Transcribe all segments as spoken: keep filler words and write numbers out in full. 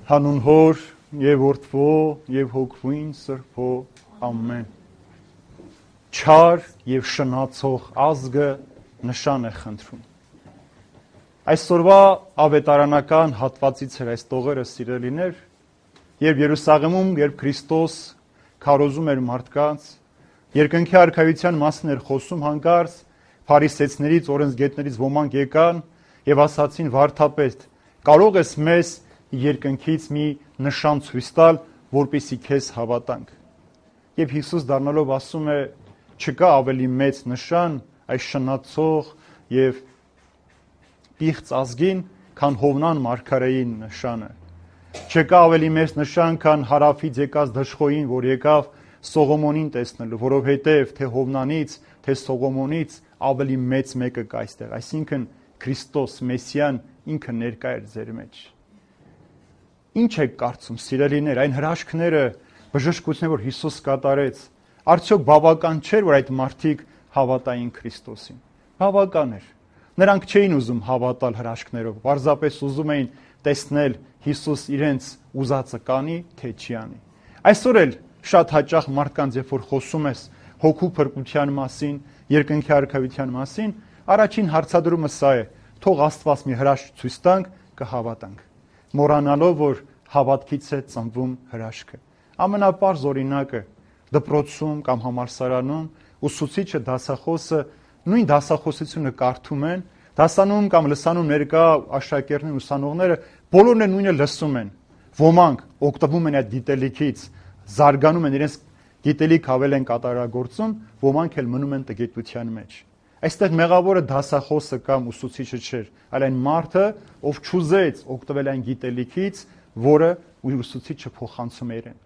Հանուն Հոր եւ Որդվո եւ Հոգվին Սրբո ամեն։ Չար եւ շնացող ազգը նշան է խնդրում։ Այսօրվա ավետարանական հատվածից էր այս տողերը սիրելիներ, երբ Երուսաղեմում, երբ Քրիստոս քարոզում էր մարդկանց, երկնքի արքայության մասին էր խոսում, հանկարծ փարիսեցիներից, օրենսգետներից ոմանք եկան եւ ասացին վարդապետ, կարող ես մեզ երկնքից մի նշան ցույց տալ, որպեսզի քեզ հավատանք։ Եվ Հիսուս դառնալով ասում է, չկա ավելի մեծ նշան այս շնացող եւ պիղծ ազգին, քան Հովնան մարգարեի նշանը։ Չկա ավելի մեծ նշան, քան հարավից եկած դժխոյին, որ եկավ Սողոմոնին տեսնելու, որովհետև թե Հովնանից, թե Սողոմոնից ավելի մեծ մեկը կա այստեղ, այսինքն Քրիստոս Մեսիան ինքը ներկա էր ձեր մեջ։ Ինչ եք կարծում, սիրելիներ, այն հրաշքները, բժշկությունները, որ Հիսուս կատարեց, արդյոք բավական չէր, որ այդ մարդիկ հավատային Քրիստոսին։ Բավական էր։ Նրանք չէին ուզում հավատալ հրաշքներով, պարզապես ուզում էին տեսնել Հիսուս իրենց ուզածը կանի, թե չի անի։ Այսօր էլ շատ հաճախ մարդկանց, երբ որ խոսում ես հոգու փրկության մասին, երկնքի արքայության մասին, առաջին հարցադրումը սա է. թող Աստված մի հրաշք ցույց տանք, կհավատանք։ Մոռանալով, որ հավատքից է ծնվում հրաշքը։ Ամենապարզ օրինակը դպրոցում կամ համալսարանում ուսուցիչը, դասախոսը նույն դասախոսությունը կարդում են, դասանում կամ լսանում ներկա աշակերտներն, ուսանողները բոլորն են նույնը լսում են։ Ոմանք օգտվում են այդ գիտելիքից, զարգանում են, իրենց գիտելիք ավել են կատարագործում, ոմանք էլ մնում են տգիտության մեջ։ Այստեղ մեղավորը դասախոսը կամ ուսուցիչը չէր, այլ այն մարդը, ով չուզեց օգտվել այն գիտելիքից, որը ուսուցիչը փոխանցում էր իրեն։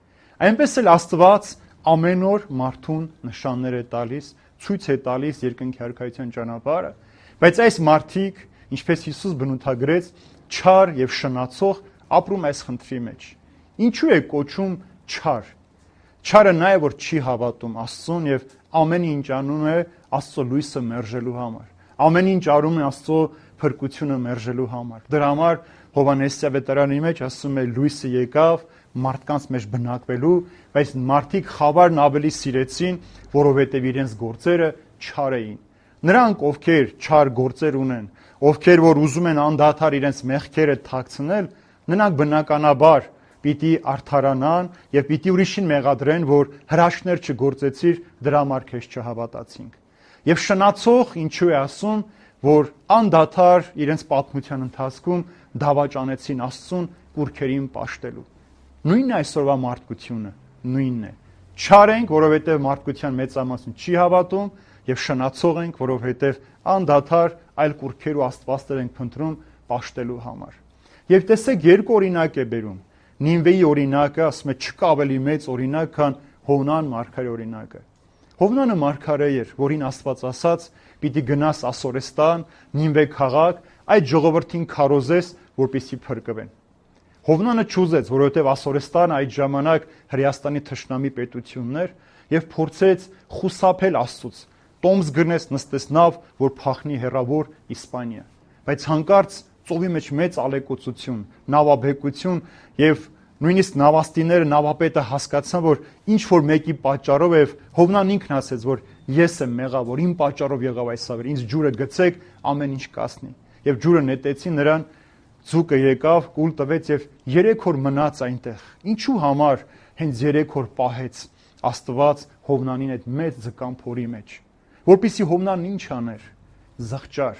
Այնպես էլ Աստված ամեն օր մարդուն նշաններ է տալիս, ցույց է տալիս երկնքի արքայության ճանապարհը, բայց այս մարդիկ, ինչպես Հիսուս բնութագրեց, չար եւ շնացող ապրում այս խնդրի մեջ։ Ինչու է կոչում չար։ Չարը նա է, որ չի հավատում Աստծուն եւ ամեն ինչ անում է Աստծո լույսը մերժելու համար։ Ամեն ինչ արում է Աստծո փրկությունը մերժելու համար։ Դրա համար Հովհաննես ավետարանի մեջ ասում է լույսը եկավ մարդկանց մեջ բնակվելու, բայց մարդիկ խավարն ավելի սիրեցին, որովհետև իրենց գործերը չար էին։ Նրանք, ովքեր չար գործեր ունեն, ովքեր որ ուզում են անդադար իրենց մեղքերը թաքցնել, նրանք բնականաբար պիտի արդարանան եւ պիտի ուրիշին մեղադրեն, որ հրաշքներ չգործեցիր, դրա համար քեզ չհավատացինք։ Եվ շնացող ինչու է ասում, որ անդադար իրենց պատմության ընթացքում դավաճանեցին Աստծուն կուրքերին պաշտելու։ Նույնն է այսօրվա մարդկությունը, նույնն է։ Չար ենք, որովհետև մարդկության մեծամասնություն չի հավատում, եւ շնացող ենք, որովհետև անդադար այլ կուրքեր ու աստվածներ ենք փնտրում պաշտելու համար։ Եվ տեսեք, երկու օրինակ է բերում։ Նինվեի օրինակը, ասում է, չկա ավելի մեծ օրինակ, քան Հովնան մարգարեի օրինակը։ Հովնանը մարգարե էր, որին Աստված ասաց, պիտի գնաս Ասորեստան, Նինվե քաղաք, այդ ժողովրդին քարոզես, որպեսզի փրկվեն։ Հովնանը չուզեց, որովհետև Ասորեստանը այդ ժամանակ Հրեաստանի թշնամի պետությունն էր եւ փորձեց խուսափել Աստծուց։ Տոմս գնես, նստես նավ, որ փախնի հեռավոր Իսպանիա։ Բայց հանկարծ ծովի մեջ մեծ ալեկոծություն, նավաբեկություն եւ նույնիսկ նավաստիները, նավապետը հասկացան, որ ինչ որ մեկի պատճառով է Հովնան ինքն ասեց, որ ես եմ մեղավոր, իմ պատճառով եղավ այս ավերը, ինձ ջուրը գցեք, ամեն ինչ կասնի։ Եվ ջուրը նետեցին նրան, ձուկը եկավ, կուլ տվեց եւ երեք օր մնաց այնտեղ։ Ինչու համար հենց երեք օր պահեց Աստված Հովնանին այդ մեծ ձկան փորի մեջ, որpիսի Հովնան ինչ աներ, զղջար,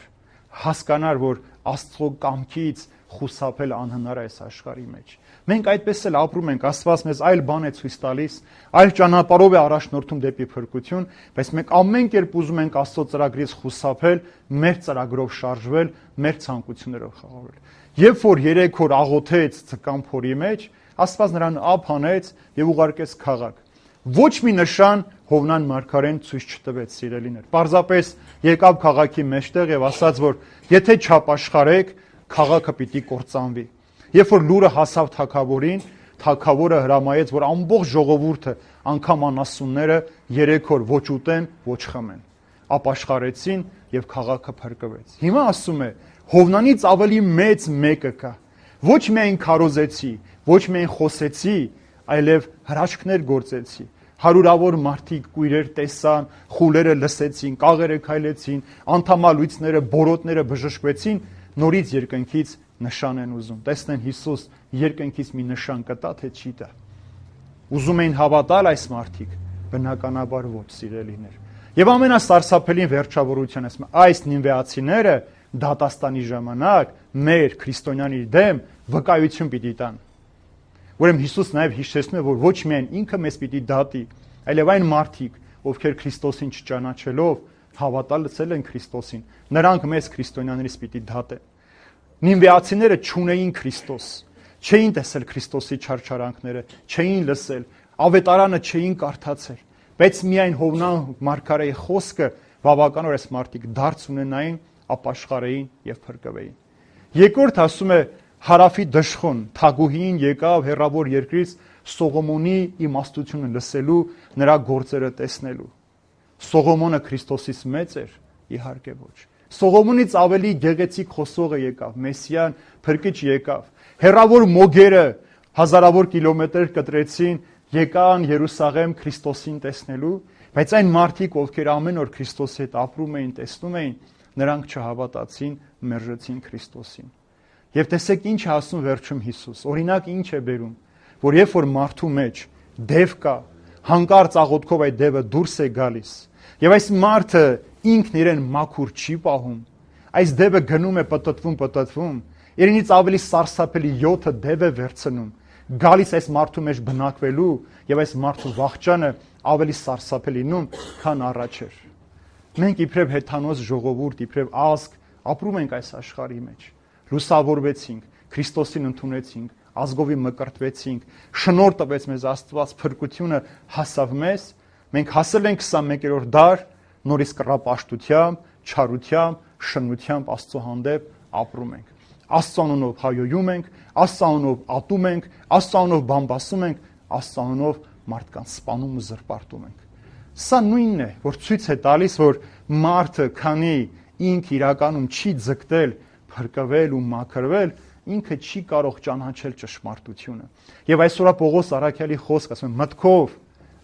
հասկանար, որ Աստծո կամքից խուսափել անհնար է այս աշխարհի մեջ։ Մենք այդպես էլ ապրում ենք, Աստված մեզ այլ բան է ցույց տալիս, այլ ճանապարհով է առաջնորդում դեպի փրկություն, բայց մենք ամեն կերպ ուզում ենք Աստծո ծրագրից խուսափել, մեր ծրագրով շարժվել, մեր ցանկություններով խաղաղվել։ Երբ որ երեք օր աղոթեց ձկան փորի մեջ, Աստված նրան ափ հանեց եւ ուղարկեց քաղաք։ Ոչ մի նշան Հովնան մարգարեն ցույց չտվեց, սիրելիներ։ Պարզապես եկավ քաղաքի մեջտեղ եւ ասաց, որ եթե չապաշխարեք, քաղաքը պիտի կործանվի։ Երբ որ լուրը հասավ թագավորին, թագավորը հրամայեց, որ ամբողջ ժողովուրդը, անգամ անասունները երեք օր ոչ ուտեն, ոչ խմեն։ Ապաշխարեցին եւ քաղաքը փրկվեց։ Հիմա ասում է, Հովնանից ավելի մեծ մեկը կա։ Ոչ միայն քարոզեցի, Ոչ միայն խոսեցի, այլև հրաշքներ գործեցի։ Հարյուրավոր մարդիկ կույրեր տեսան, խուլերը լսեցին, կաղերը քայլեցին, անդամալույցները, բորոտները բժշկվեցին, նորից երկնքից նշան են ուզում։ Տեսնեն Հիսուս երկնքից մի նշան կտա, թե չի տա։ Ուզում էին հավատալ այս մարդիկ, բնականաբար ոչ, սիրելիներ։ Եվ ամենասարսափելին վերջավորության այս նինվեացիները դատաստանի ժամանակ մեր քրիստոնյանի դեմ վկայություն պիտի տան։ Ուրեմն Հիսուս նաև հիշեցնում է, որ ոչ միայն ինքը մեզ պիտի դատի, այլև այն մարդիկ, ովքեր Քրիստոսին չճանաչելով հավատալցել են Քրիստոսին, նրանք մեզ քրիստոնյաներից պիտի դատեն։ Նինվեացիները չունեին Քրիստոս, չէին տեսել Քրիստոսի չարչարանքները, չէին լսել, ավետարանը չէին կարդացել, բայց միայն Հովնան մարգարեի խոսքը բավական էր այս մարդիկ դարձ ունենային, ապաշխարեին եւ փրկվեին։ Երկրորդ ասում է հարավի դժխոն թագուհին եկավ հեռավոր երկրից Սողոմոնի իմաստությունը լսելու, նրա գործերը տեսնելու։ Սողոմոնը Քրիստոսից մեծ էր, իհարկե ոչ։ Սողոմոնից ավելի գեղեցիկ խոսողը եկավ, Մեսիան, փրկիչ եկավ։ Հեռավոր մոգերը հազարավոր կիլոմետր կտրեցին, եկան Երուսաղեմ Քրիստոսին տեսնելու, բայց այն մարդիկ, ովքեր ամեն օր Քրիստոսի հետ ապրում էին, տեսնում էին, նրանք չհավատացին, մերժեցին Քրիստոսին։ Եվ տեսեք ինչ է ասում վերջում Հիսուս։ Օրինակ ինչ է բերում, որ երբ որ մարդու մեջ դև կա, հանկարծ աղոթքով այդ դևը դուրս է գալիս, եւ այս մարդը ինքն իրեն մաքուր չի պահում, այս դևը գնում է պտտվում, պտտվում, իրենից ավելի սարսափելի յոթը դև է վերցնում, գալիս այս մարդու մեջ բնակվելու եւ այս մարդու վախճանը ավելի սարսափելի լինում, քան առաջ էր։ Մենք իբրև հեթանոս ժողովուրդ, իբրև ազգ ապրում ենք այս աշխարհի մեջ։ Լուսավորվեցինք, Քրիստոսին ընդունեցինք, ազգովի մկրտվեցինք, շնորհ տվեց մեզ Աստված, փրկությունը հասավ մեզ, մենք հասել ենք քսանմեկերորդ դար, նորից կռապաշտությամբ, չարությամբ, շնությամբ Աստծո հանդեպ ապրում ենք։ Աստծո անունով հայոյում ենք, Աստծո անունով ատում ենք, Աստծո անունով բամբասում ենք, Աստծո անունով մարդկանց սպանում ու զրպարտում ենք։ Սա նույնն է, որ ցույց է տալիս, որ մարդը, քանի ինք իրականում չի ձգտել փրկվել ու մաքրվել, ինքը չի կարող ճանաչել ճշմարտությունը։ Եվ այսօր Պողոս Առաքյալի խոսքը ասում է. մտքով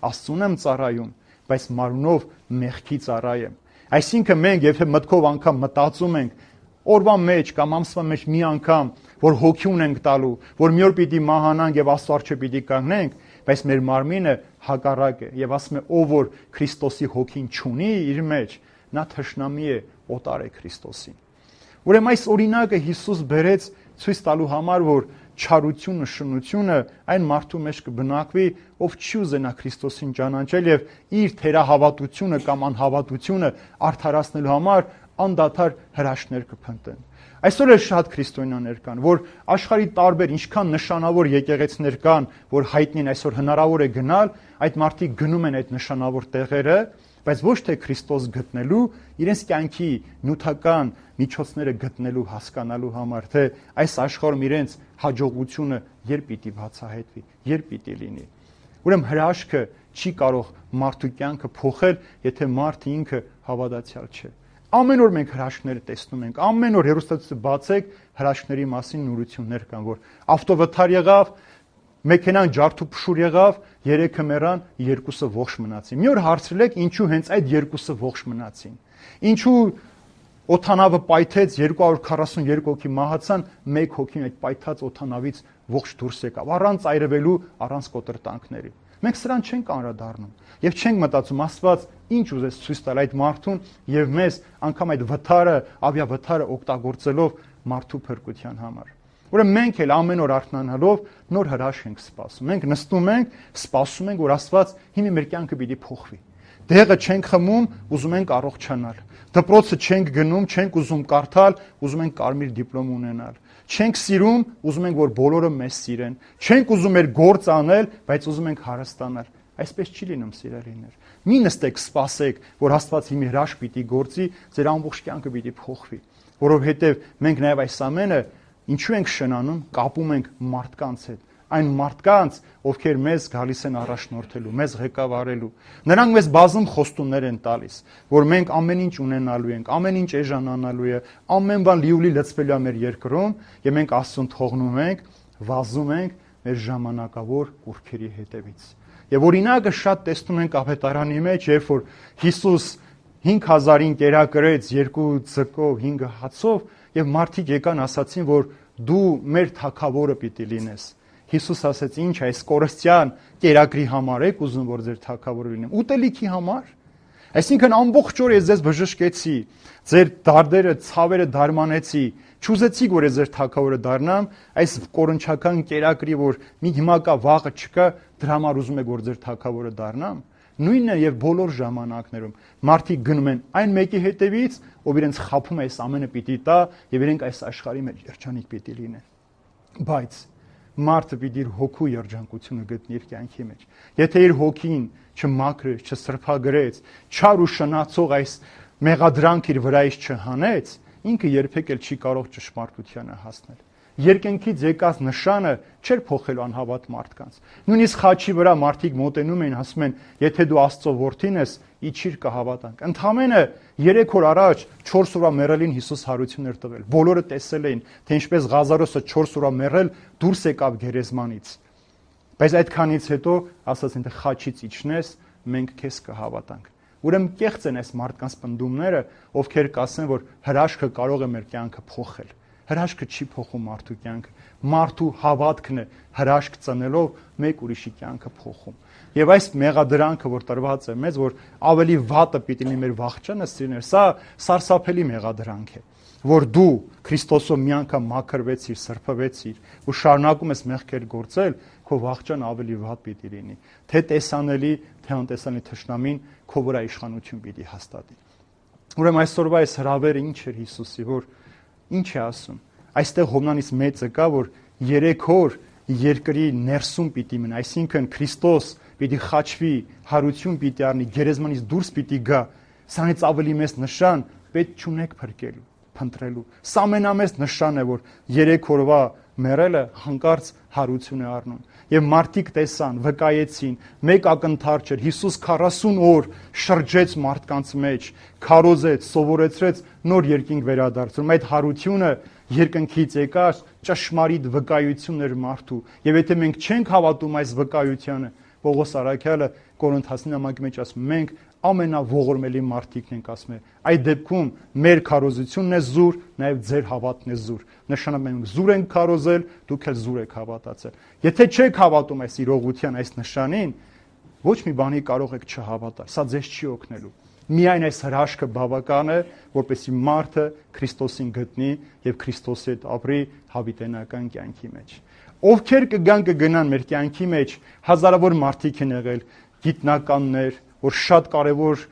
Աստծուն եմ ծառայում, բայց մարմնով մեղքի ծառայ եմ։ Այսինքն մենք եթե մտքով անգամ մտածում ենք օրվա մեջ կամ ամսվա մեջ մի անգամ, որ հոգի ունենք տալու, որ մի օր պիտի մահանանք եւ Աստծո առջեւ պիտի կանգնենք, բայց մեր մարմինը հակառակ է եւ ասում է ով որ Քրիստոսի հոգին չունի իր մեջ, նա թշնամի է, օտար է Քրիստոսին։ Ուրեմն այս օրինակը Հիսուս բերեց ցույց տալու համար, որ չարությունը, շնությունը այն մարդու մեջ կբնակվի, ով չի ուզենա Քրիստոսին ճանաչել եւ իր թերահավատությունը կամ անհավատությունը արդարացնելու համար անդադար հրաշքներ կփնտրեն։ Այսօր էլ շատ քրիստոնյաներ կան, որ աշխարհի տարբեր ինչքան նշանավոր եկեղեցիներ կան, որ հայտնի են այսօր հնարավոր է գնալ, այդ մարդիկ գնում են այդ նշանավոր տեղերը, բայց ոչ թե Քրիստոս գտնելու, իրենց կյանքի նյութական միջոցները գտնելու, հասկանալու համար, թե այս աշխարհում իրենց հաջողությունը երբ պիտի բացահայտվի, երբ պիտի լինի։ Ուրեմն հրաշքը չի կարող մարդու կյանքը փոխել, եթե մարդը ինքը հավատացյալ չէ։ Ամեն օր մենք հրաշքներ տեսնում ենք, ամեն օր հեռուստացույցը բացեք, հրաշքների մասին նորություններ կան, որ ավտովթար եղավ, մեքենան ջարդուփշուր եղավ, երեքը մեռան, երկուսը ողջ մնացին։ Մի օր հարցրել եք, ինչու հենց այդ երկուսը ողջ մնացին։ Ինչու օթանավը պայթեց, երկու հարյուր քառասունյոթ հոգի մահացան, մեկ հոգին այդ պայթած օթանավից ողջ դուրս եկավ, առանց այրվելու, առանց կոտրտանքների։ Մենք սրան չենք անդրադառնում եւ չենք մտածում Աստված ինչ ուզեց ցույց տալ այդ մարդուն եւ մեզ անգամ այդ վթարը, ավիավթարը օգտագործելով մարդու փրկության համար։ Ուրեմն մենք էլ ամեն օր արթնանալով նոր հրաշք ենք սպասում։ Մենք նստում ենք, սպասում ենք, որ Աստված հիմա մեր կյանքը պիտի փոխվի։ Դեղը չենք խմում, ուզում ենք առողջանալ։ Դպրոցը չենք գնում, չենք ուզում կարդալ, ուզում ենք կարմիր դիպլոմ ունենալ։ Չենք սիրում, ուզում ենք որ բոլորը մեզ սիրեն։ Չենք ուզում մեր գործ անել, բայց ուզում ենք հարստանալ։ Այսպես չի լինում, սիրելիներ։ Մի նստեք, սպասեք, որ Աստված հիմա հրաշք պիտի գործի, ձեր ամբողջ կյանքը պիտի փոխվի, որովհետև մենք նաև այս ամենը ինչու ենք շնանում, կապում ենք մարդկանց հետ, այն մարդկանց, ովքեր մեզ գալիս են առաջնորդելու, մեզ ղեկավարելու։ Նրանք մեզ բազում խոստումներ են տալիս, որ մենք ամեն ինչ ունենալու ենք, ամեն ինչ էժանանալու է, ամեն բան լիուլի լցվելու է մեր երկրում, եւ մենք Աստծուն թողնում ենք, վազում ենք, մեր ժամանակավոր կուռքերի հետևից։ Եվ օրինակը շատ տեսնում ենք Ավետարանի մեջ, երբ որ Հիսուս հինգ հազարին կերակրեց երկու ձկով, հինգ հացով, եւ մարդիկ եկան ասացին, որ դու մեր թագավորը պիտի լինես։ Հիսուս ասաց, ինչ այս կորստյան կերակրի համար եք ուզում, որ ձեր թագավորը լինեմ, ուտելիքի համար։ Այսինքն ամբողջ օր ես ձեզ բժշկեցի, ձեր դարդերը, ցավերը դարմանեցի, չուզեցիք, որ ես ձեր թագավորը դառնամ, այս կորնչական կերակրի, որ մի հիմա կա, վաղը չկա, դրա համար ուզում եք, որ ձեր թագավորը դառնամ։ Նույնն է եւ բոլոր ժամանակներում մարդիկ գնում են այն մեկի հետևից, ով իրենց խափում է այս ամենը պիտի տա եւ իրենք այս աշխարհի մեջ երջանիկ պիտի լինեն։ Բայց մարդը պիտի իր հոգու երջանկությունը գտնի իր կյանքի մեջ։ Եթե իր հոգին չմաքրեց, չսրբագրեց, չար ու շնացող այս մեղադրանք իր վրայից չհանեց, ինքը երբեք էլ չի կարող ճշմարտությանը հասնել։ Երկնքից եկած նշանը չէր փոխելու անհավատ մարդկանց։ Նույնիսկ խաչի վրա մարդիկ մոտենում էին, ասում են, եթե դու Աստծո որդին ես, իջիր կհավատանք։ Ընդամենը երեք օր առաջ չորս օրվա մեռելին Հիսուս հարություն էր տվել։ Բոլորը տեսել էին, թե ինչպես Ղազարոսը չորս օրվա մեռել դուրս եկավ գերեզմանից։ Բայց այդքանից հետո ասացին, թե խաչից իջնես, մենք քեզ կհավատանք։ Ուրեմն կեղծ են այս մարդկանց պնդումները, ովքեր կասեն, որ հրաշքը կարող է մեր կյանքը փոխել։ Հրաշքը չի փոխում մարդու կյանքը։ Մարդու հավատքն է հրաշք ծնելով մեկ ուրիշի կյանքը փոխում։ Եվ այս մեղադրանքը, որ տրված է մեզ, որ ավելի վատը պիտի լինի մեր վախճանը, սիրներ, սա սարսափելի մեղադրանք է, որ դու Քրիստոսով մի անգամ մաքրվեցիր, սրբվեցիր ու շարունակում ես մեղքեր գործել, քո վախճանը ավելի վատ պիտի լինի։ Թե տեսանելի, թե անտեսանելի թշնամին քո վրա իշխանություն պիտի հաստատի։ Ուրեմն այսօրվա այս հրավերը ինչ էր Հիսուսի, որ ինչ է ասում։ Այստեղ Հովնանից մեծը կա, որ երեք օր երկրի ներսում պիտի մնա, այսինքն Քրիստոս պիտի խաչվի, հարություն պիտի առնի, գերեզմանից դուրս պիտի գա։ Սրանից ավելի մեծ նշան պետք չունեք փրկելու, փնտրելու։ Սա ամենամեծ նշան է, որ երեք օրվա մեռելը հանկարծ հարություն է առնում։ Եվ մարդիկ տեսան, վկայեցին, մեկ ակնթարթ չէր, Հիսուս քառասուն օր շրջեց մարդկանց մեջ, քարոզեց, սովորեցրեց, նոր երկինք վերադարձնում։ Այդ հարությունը երկնքից եկած ճշմարիտ վկայություն էր մարդու։ Եվ եթե մենք չենք հավատում այս վկայությանը, Պողոս Արաքյալը Կորինթացին նամակի մեջ ասում, մենք ամենաողորմելի մարդիկն ենք, ասում է, այդ դեպքում մեր քարոզությունն է զուր, նաև ձեր հավատն է զուր։ Նշանակում է մենք զուր ենք քարոզել, դուք էլ զուր եք հավատացել։ Եթե չեք հավատում այս իրողության, այս նշանին, ոչ մի բանի կարող եք չհավատալ։ Սա ձեզ չի օգնելու։ Միայն այս հրաշքը բավական է, որպեսզի մարդը Քրիստոսին գտնի եւ Քրիստոսի հետ ապրի հավիտենական կյանքի մեջ։ Ովքեր կգան կգնան մեր կյանքի մեջ, հազարավոր մարդիկ են եղել, գիտնականներ, որ շատ կարևոր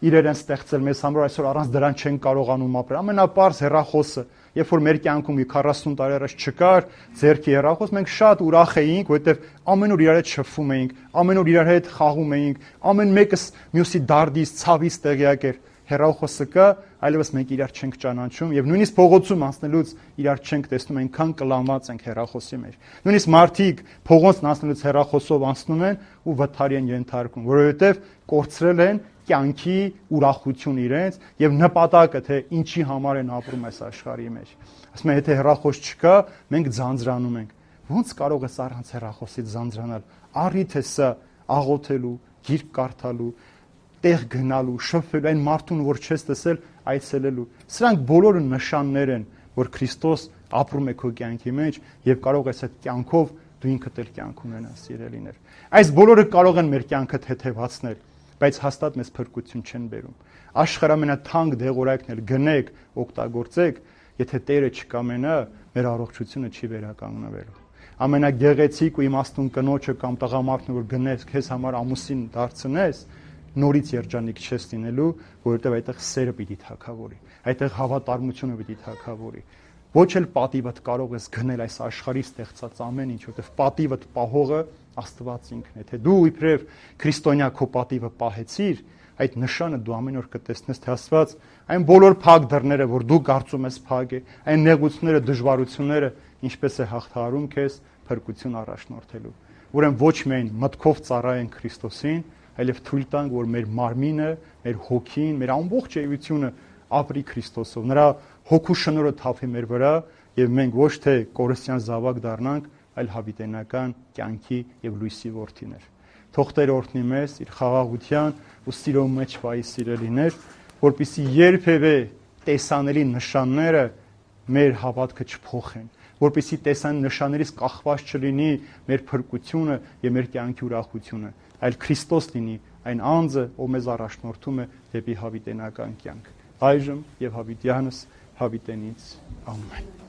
իրեր են ստեղծել մեզ համար, այսօր առանց դրան չեն կարողանում ապրել։ Ամենապարզ հեռախոսը, երբ որ մեր կյանքում քառասուն տարի առաջ չկար ձեռքի հեռախոս, մենք շատ ուրախ էինք, որովհետև ամեն օր իրար հետ շփվում էինք, ամեն օր իրար հետ խաղում էինք, ամեն մեկս մյուսի դարդից, ցավից տեղյակ էր։ Հեռախոսը կա, այլևս մենք իրար չենք ճանաչում եւ նույնիսկ փողոցում անցնելուց իրար չենք տեսնում, այնքան կլանված ենք հեռախոսի մեջ։ Նույնիսկ մարդիկ փողոցն անցնելուց հեռախոսով անցնում են ու վթարի են ենթարկում, որովհետեւ կորցրել են կյանքի ուրախություն իրենց եւ նպատակը, թե ինչի համար են ապրում այս աշխարհի մեջ։ Ասում են, եթե հեռախոս չկա, մենք ձանձրանում ենք։ Ոնց կարող ես առանց հեռախոսից ձանձրանալ։ Առիթ է սա աղոթելու, գիրք կարդալու, տեղ գնալու, շփվելու, այն մարդուն, որ չես տեսել, այցելելու։ Սրանք բոլորը նշաններ են, որ Քրիստոս ապրում է քո կյանքի մեջ եւ կարող ես այդ կյանքով դու ինքդ էլ կյանք ունենաս, սիրելիներ։ Այս բոլորը կարող են մեր կյանքը թեթևացնել, բայց հաստատ մեզ փրկություն չեն բերում։ Աշխարհի ամենաթանկ դեղորայքն էլ գնեք, օգտագործեք, եթե Տերը չկամենա, մեր առողջությունը չի վերականգնվելու։ Ամենագեղեցիկ ու իմաստուն կնոջը կամ տղամարդն, որ գնես քեզ համար ամուսին դարձնես, նորից երջանիկ չես լինելու, որովհետև այդտեղ սերը պիտի թագավորի, այդտեղ հավատարմությունը պիտի թագավորի։ Ոչ էլ պատիվդ կարող ես գնել այս աշխարհի ստեղծած ամեն ինչ, որովհետև պատիվդ պահողը Աստված ինքն է։ Թե դու իբրև քրիստոնյա քո պատիվը պահեցիր, այդ նշանը դու ամեն օր կտեսնես, թե Աստված այն բոլոր փակ դռները, որ դու կարծում ես փակ է, այն նեղությունները, դժվարությունները ինչպես է հաղթահարում քեզ փրկություն առաջնորդելու։ Ուրեմն ոչ միայն մտքով ծառայենք Քրիստոսին, այլև թույլ տանք, որ մեր մարմինը, մեր հոգին, մեր ամբողջ էությունը ապրի Քրիստոսով։ Նրա հոգու շնորհը թափի մեր վրա եւ մենք ոչ թե կորստյան զավակ դառնանք, այլ հավիտենական կյանքի եւ լույսի որդիներ։ Թող Տեր օրհնի մեզ իր խաղաղության ու սիրո մեջ վայի սիրելիներ, որպեսզի երբևէ տեսանելի նշանները մեր հավատքը չփոխեն, որպեսզի տեսան նշաններից կախված չլինի մեր փրկությունը եւ մեր կյանքի ուրախությունը, այլ Քրիստոս լինի այն անձը, ով մեզ առաջնորդում է դեպի հավիտենական կյանք։ Այժմ եւ հավիտյանս հավիտենից ամեն։